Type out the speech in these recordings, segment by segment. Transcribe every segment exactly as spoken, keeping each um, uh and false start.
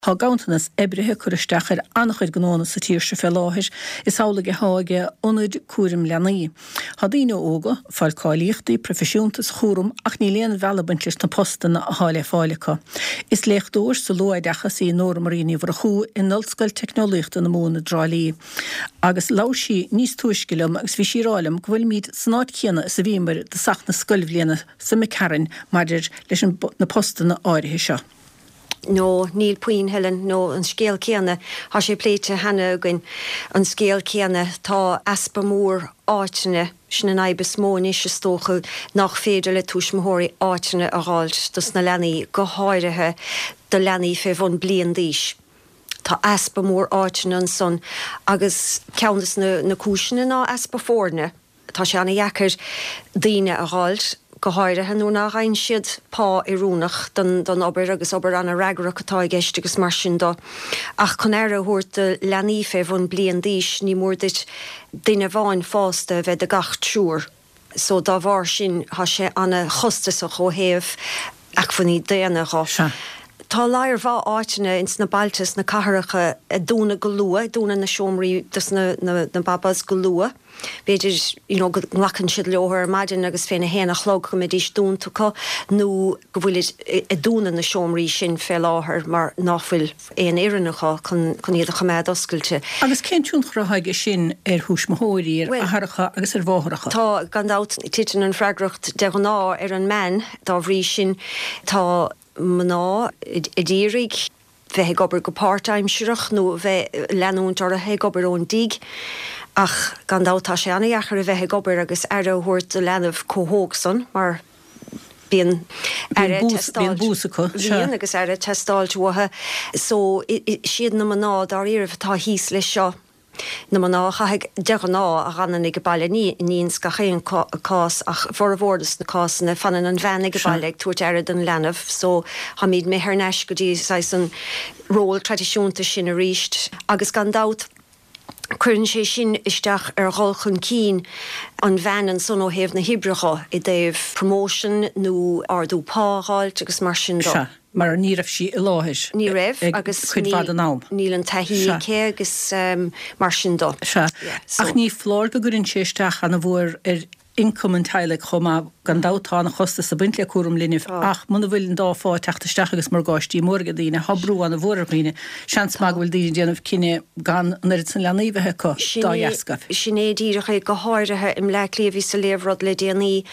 Tá ganntanas oibrithe ag cur isteach ar an-chuid gnóanna sa tír seo fé láthair, is amhlaidh atá ag ionaid cúraim leanaí. Tá daoine óga ag fáil cáilíochtaí proifisiúnta sa chúram ach níl aon bhealach ag baint leis na postanna atá le fáil acu. Is léachtóir sa luathoideachas í Nóra Marie Ní Mhurchú in Ollscoil Teicneolaíochta na Mumhan i dTrá Lí. Agus labhair sí níos túisce liom agus bhí sí ag rá liom go bhfuilimid san áit chéanna is a bhíomar i dtosach na scoilbhliana seo imigh tharainn maidir leis na postanna áirithe seo. No, níl puinn, Helen, no, an scéal céanna, tá sé pléite cheana againn, an scéal céanna, tá easpa mór áiteanna, sin an fhadhb is mó anois is dócha, nach féidir le tuismitheoirí áiteanna a dh'fháilt dos na leanaí, go háirithe do leanaí fé bhun bliain d'aois. Tá easpa mór áiteanna ansan agus ceann des na cúiseanna ná easpa foirne. Tá sé ana-dheacair daoine a dh'fháilt, go háirithe nuair ná gheibheann siad pá oiriúnach don don obair agus obair ana-fhreagrach atá i gceist agus mar sin do. Ach chun aire a thabhairt do leanaí fé bhun bliain d'aois ní mór duit duine amháin fásta a bheith do gach triúr. So dá bharr sin tá sé ana-chostasach ó thaobh acmhainní daonna dho. Sea. Tá lear mhaith áiteanna ins na bailte is na cathracha ag dúnadh go luath, ag dúnadh na seomraí dos na na babás go luath. B'fhéidir you know go nglacann siad leo ar maidin agus féna haon a chlog go mbeidís dúnta acu nó go bhfuilid ag dúnadh na seomraí sin fé láthair mar ná fuil aon fhoireann acu chun chun iad a choimeád oscailte. Agus cén tionchar atá aige sin ar thuismitheoirí, ar athaireacha agus ar mháithreacha? Tá, gan dabht, titeann an fhreagracht de ghnáth ar an mbean, dá bhrí sin tá mná a d'iarraidh bheith ag obair go páirtaimsearach nó bheith leanúint orthu ag obair ón dtigh ach gan dabht tá sé ana-dheacair a bheith ag obair agus aire a thabhairt do leanbh chomh hóg san mar bíonn aire ag teastáilt bíonn agus aire ag teastáilt uathu so siad na mná dáiríribh atá thíos leis seo. Na mná a chaithfidh, de ghnáth, a dh'fhanann ag baile, ní ní ins gach aon cás ach formhór dos na cásanna, fanann an bhean ag baile ag tabhairt aire don leanbh so táimid imithe thar n-ais go dtí saghas an ról traidisiúnta sin aríst agus gan dabht cuireann sé sin isteach ar dhul chun cinn an bhean ansan ó thaobh na hoibre dho i dtaobh promotion nó ardú pá a dh'fháilt agus mar sin do. Sea. Mar ní raibh sí i láthair Ní raibh ag agus cuid mhaith níl den am. níl an taithí Sea. aici agus mar sin do. Sea. Yeah, so. Ach ní foláir go gcuireann sé isteach ana-mhór ar ioncam an teaghlaigh chomh maith. Gan dabht tá ana-chostas ag baint le cúram linbh Tá. ach muna bhfuil an dá phá ag teacht isteach agus morgáistí móra ag daoine, tá brú ana-mhór ar dhaoine. Seans maith Tá. go bhfuil daoine ag déanamh cinneadh gan an oiread san leanaí a bheith acu Sin dá é, dheasca. sin é díreach é, go háirithe i mBleá Cliath bhíos ag léamh rud le déanaí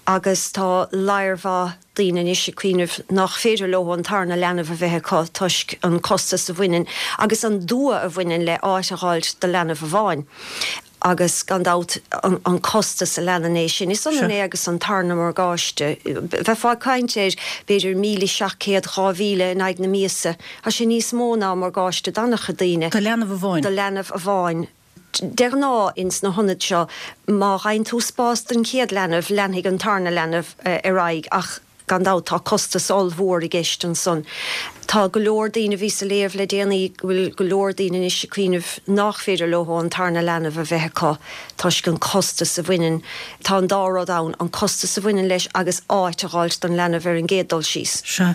agus tá lear mhaith daoine anois ag cuimhneamh nach féidir leo an tarna leanbh a bheith acu toisc an costas a bhaineann agus an dua a bhaineann le áit a dh'fháilt do leanbh amháin agus gan dabht an costas a leanann é sin. Is ionann Sea. é agus an tarna morgáiste. Bheifeá ag caint ar b'fhéidir míle seacht gcéad, dhá mhíle in aghaidh na míosa. Tá sé níos mó ná morgáiste d'an-chuid daoine. Do leanbh amháin. Do leanbh amháin. De ghnáth ins na hionaid seo, má gheibheann tú spás don chéad leanbh, leanfaidh an tarna leanbh ar aghaidh ach gan dabht tá costas ollmhór i gceist ansan. Tá go leor daoine, bhíos ag léamh le déanaí go bhfuil go leor daoine anois ag cuimhneamh nach féidir leo an tarna leanbh a bheith acu toisc an costas a bhaineann, tá an dá rud ann, an costas a bhaineann leis agus áit a dh'fháilt don leanbh ar an gcéad dul síos. Sea.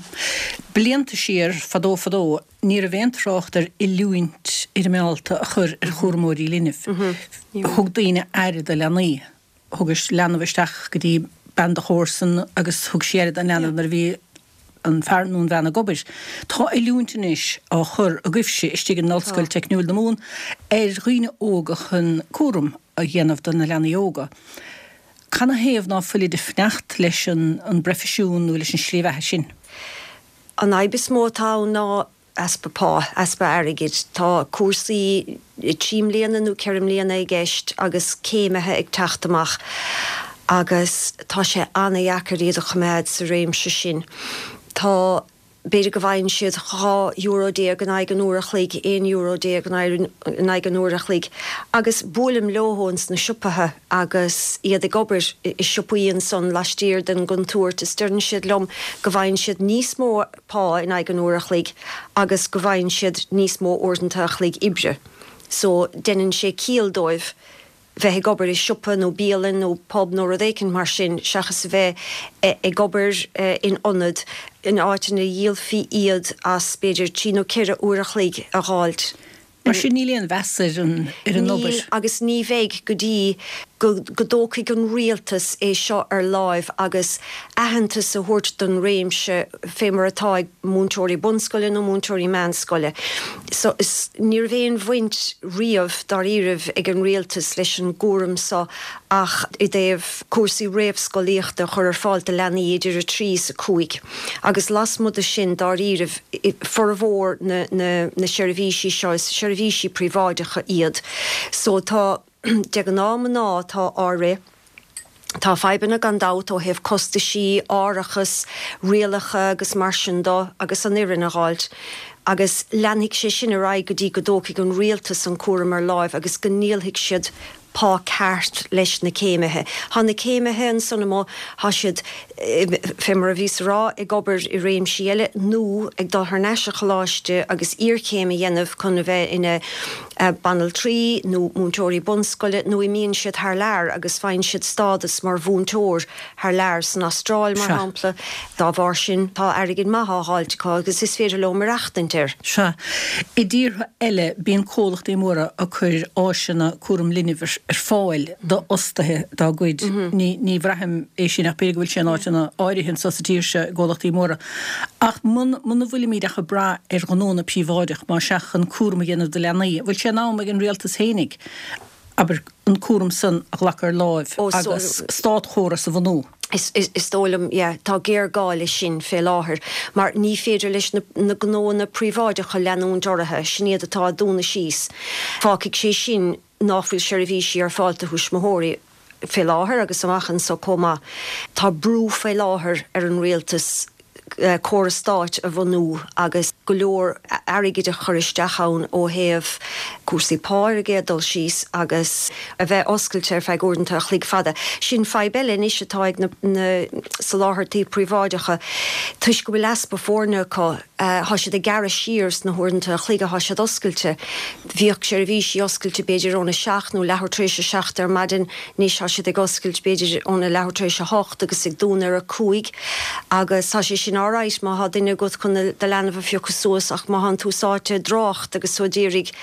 Blianta siar, fadó fadó, Ní raibh aon trácht ar oiliúint fhoirmeálta a chur ar chúramóirí linbh. Thug daoine aire do leanaí. Thugais leanbh isteach go dtí bean do chomharsan agus thug sí aire don leanbh nuair a bhí an fear nó an bhean ag obair. Tá oiliúint anois á chur agaibhse istigh in Ollscoil Teicniúil na Mumhan ar dhaoine óga chun cúram a dhéanamh do na leanaí óga. Canathaobh ná fuilid ag fanacht leis an bproifisiún nó leis an slí bheatha sin? An fhadhb is mó atá ann ná easpa pá, easpa airgid. Tá cúrsaí trí mbliana nó ceithre mbliana i gceist agus céimithe ag teacht amach agus tá sé ana-dheacair iad a choimeád sa réimse sin. Tá, b'fhéidir go bhfaigheann siad dhá euro déag in aghaidh an uair a chloig, aon euro déag in aghaidh an uair a chloig agus buailim leo ins na siopaithe agus iad ag obair i siopaí ansan laistiar den gcontúirt is deireann siad liom go bhfaigheann siad níos mó pá in aghaidh an uair a chloig agus go bhfaigheann siad níos mó uaireanta a chloig oibre so deineann sé ciall dóibh bheith ag obair i siopa nó bialann nó pub nó rud éicint mar sin seachas a bheith ag obair in ionad in áit ina dhíolfaí iad as b'fhéidir trí nó ceithre uair a chloig a dh'fháilt. Mar sin níl aon mheas ar an ar an obair. Níl agus ní bheidh go dtí go go dtógfaidh an rialtas é seo ar láimh agus aitheantas a thabhairt don réimse fé mar atá ag múinteoirí bunscoile nó múinteoirí meánscoile. So is ní raibh aon bhaint riamh dáiríribh ag an rialtas leis an gcúram seo ach i dtaobh cúrsaí réamhscolaíochta a chur ar fáil do leanaí idir a trí is a cúig. Agus lasmuigh de sin dáiríribh formhór na na na seirbhísí seo is seirbhísí príobháideacha iad. So tá de ghnáth mná atá á rith. Tá fadhbanna gan dabht ó thaobh costaisí, árachas, rialacha agus mar sin do agus an fhoireann a dh'fháilt. Agus leanfaidh sé sin ar aghaidh go dtí go dtógfaidh an rialtas an cúram ar láimh agus go ndíolfaidh siad pá ceart leis na céimithe. Tá na céimithe ansan amuigh, tá siad, fé mar a bhíos a rá, ag obair i réimsí eile nó ag dul thar n-ais a choláiste agus iarchéim a dhéanamh chun a bheith ina banaltraí nó múinteoirí bunscoile nó imíonn siad thar lear agus faigheann siad stádas mar mhúinteoir thar lear, san Astráil mar shampla. Dá bharr sin tá airgead maith á dh'fháilt acu agus is féidir leo maireachtaint air. Sea. I dtíortha eile bíonn comhlachtaí móra ag cur áiseanna cúram linbh ar fáil d'fhostaithe dá gcuid. Ní ní bhraithim é sin ach b'fhéidir go bhfuil sé in áiteanna áirithe anseo sa tír seo i gcomhlachtaí móra. Ach muna bhfuilimid ach ag brath ar ghnónna príobháideach más ea chun cúram a dhéanamh do leanaí, an bhfuil sé in am ag an rialtas fhéinig, abair, an cúram san a ghlacadh ar láimh agus státchóras a bhunú? Is is dóigh liom, yeah, tá géarghá leis sin fé láthair mar ní féidir leis na na gnóanna príobháideacha leanúint orthu, sin iad atá ag dúnadh síos. Fágfaidh sé sin ná fuil seirbhísí ar fáil do thuismitheoirí fé láthair agus amach anso chomh maith. Tá brú fé láthair ar an rialtas córas stáit a bhunú agus go leor airgid a chur isteach ann ó thaobh cúrsaí pá ar an gcéad dul síos agus a bheith oscailte ar feadh uaireanta a chloig fada. Sin fadhb eile anois atá ag na soláthairtí príobháideacha toisc go bhfuil easpa foirne acu. Tá siad ag gearradh siar sna huaireanta a chloig atá siad oscailte. Bhíodh seirbhísí oscailte b'fhéidir óna seacht nó leathuair tar éis a seacht ar maidin, anois tá siad ag oscailt b'fhéidir óna leathuair tar éis a hocht agus ag dúnadh ar a cúig agus tá sé sin alright má thá duine agat chun do leanbh a phiocadh suas ach má thánn tú sáite i dtrácht agus tú ag iarraidh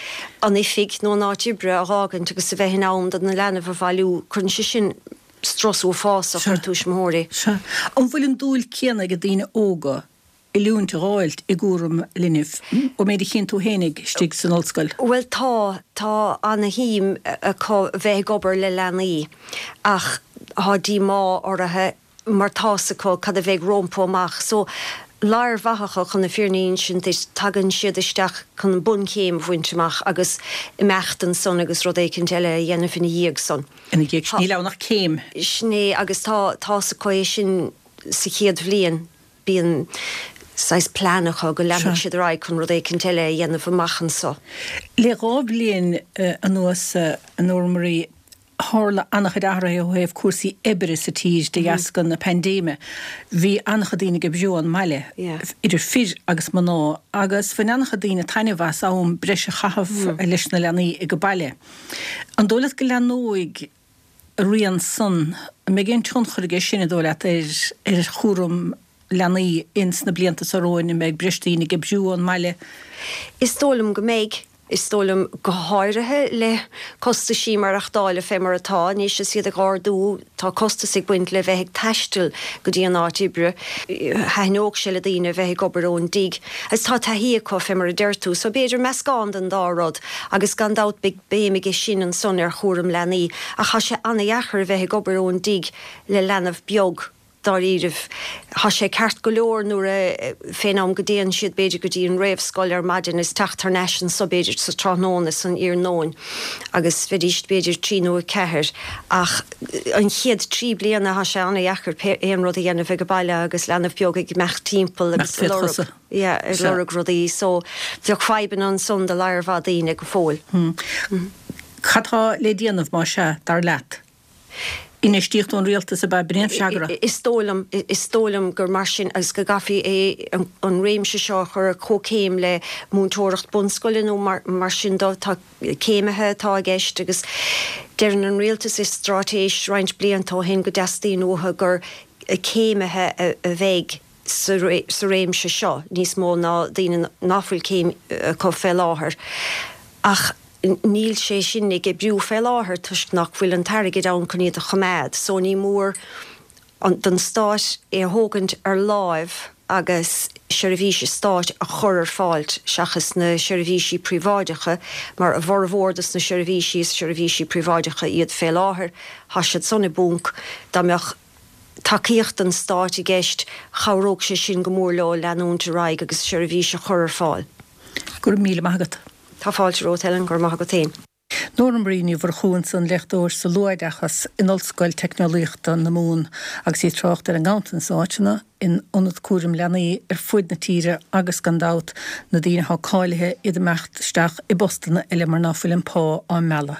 an oifig nó an áit oibre a dh'fhágaint agus a bheith in am do na leanbh a bhailiú, cuireann sé sin strus uafásach ar tuismitheoirí. Sea. An bhfuil an dúil céanna ag daoine óga oiliúint a dh'fháilt i gcúram linbh, ón méid a chíonn tú fhéinig istigh san ollscoil? Bhuel tá, tá ana-shuim acu bheith ag obair le leanaí ach tá díomá orthu mar tá's acu cad a bheidh rompu amach. So lear mhaith acu chun na fírinne a insint duit, tagann siad isteach chun an bunchéim a bhaint amach agus imeacht ansan agus rud éicint eile a dhéanamh ina dhiaidh san. Ina dhiaidh sin, níl ann ach céim. Sin é agus tá, tá's acu é sin sa chéad bhliain. Bíonn saghas plean acu go leanfaidh siad ar aghaidh chun rud éicint eile a dhéanamh amach anso. Le dhá bhliain anuas, a Nóra Marie, tharla an-chuid athruithe ó thaobh cúrsaí oibre sa tír de dheasca na paindéime. Bhí an-chuid daoine ag oibriú ón mbaile, idir fir agus mná, agus bhain an-chuid daoine taitneamh as am breise a chaitheamh leis na leanaí ag baile. An dóigh leat go leathnóidh a rian san, an mbeidh aon tionchar aige sin, an dóigh leat, ar ar chúram leanaí ins na blianta seo romhainn, an mbeidh breis daoine ag oibriú ón mbaile? Is dóigh liom go mbeidh. Is dóigh liom, go háirithe le costaisí maireachtála fé mar atá anois is iad ag ardú, tá costas ag baint le bheith ag taisteal go dtí an áit oibre. Thaitneodh sé le daoine a bheith ag obair ón dtigh agus tá taithí acu fé mar a deir tú. So b'fhéidir meascán den dá rud agus gan dabht beidh béim aige sin ansan ar chúram leanaí ach tá sé ana-dheacair a bheith ag obair ón dtigh le leanbh beag dáiríribh. Tá sé ceart go leor nuair a, fén am go dtéann siad b'fhéidir go dtí an réamhscoil ar maidin is teacht thar n-ais anso b'fhéidir sa tráthnóna san iarnóin agus bheidís b'fhéidir trí nó a ceathair ach an chéad trí bliana tá sé ana-dheacair pé aon rud a dhéanamh ag baile agus leanbh beag ag imeacht timpeall agus ag lorg, yeah, ag lorg rudaí so bheadh fadhbanna ansan do lear mhaith daoine go fóill. Cad tá le déanamh más ea, dar leat? Infheistíocht ón rialtas ab ea? B'in é an freagra. Is dóigh liom, is dóigh liom gur mar sin agus go gcaithfí é, an réimse seo a chur ar comhchéim le múinteoireacht bunscoile nó mar sin de. Tá céimithe atá i gceist agus deireann an rialtas i straitéis roinnt blianta ó shin go dteastaíonn uathu gur céimithe a bheidh sa réimse seo, níos mó ná daoine nach bhfuil céim acu fé láthair. Ach níl sé sin ag oibriú fé láthair toisc nach bhfuil an t-airgead ann chun iad a choimeád, so ní mór don stát é a thógaint ar láimh agus seirbhísí stáit a chur ar fáil seachas na seirbhísí príobháideacha, mar a bhformhór dos na seirbhísí is seirbhísí príobháideacha iad fé láthair, tá siad san i bponc. Dá mbeadh tacaíocht an stáit i gceist, chabhródh sé sin go mór leo leanúint ar aghaidh agus seirbhís a chur ar fáil. Go raibh míle maith agat. Tá fáilte romhat, Helen, go raibh maith agat féin. Nóra Marie Ní Mhurchú ansan, léachtóir sa luathoideachas in Ollscoil Teicneolaíochta na Mumhan agus í ag trácht ar an nganntanas áiteanna in ionad cúraim leanaí ar fud na tíre agus gan dabht na daoine atá cáilithe iad ag imeacht isteach i bpostanna eile mar ná fuil an pá á mealladh.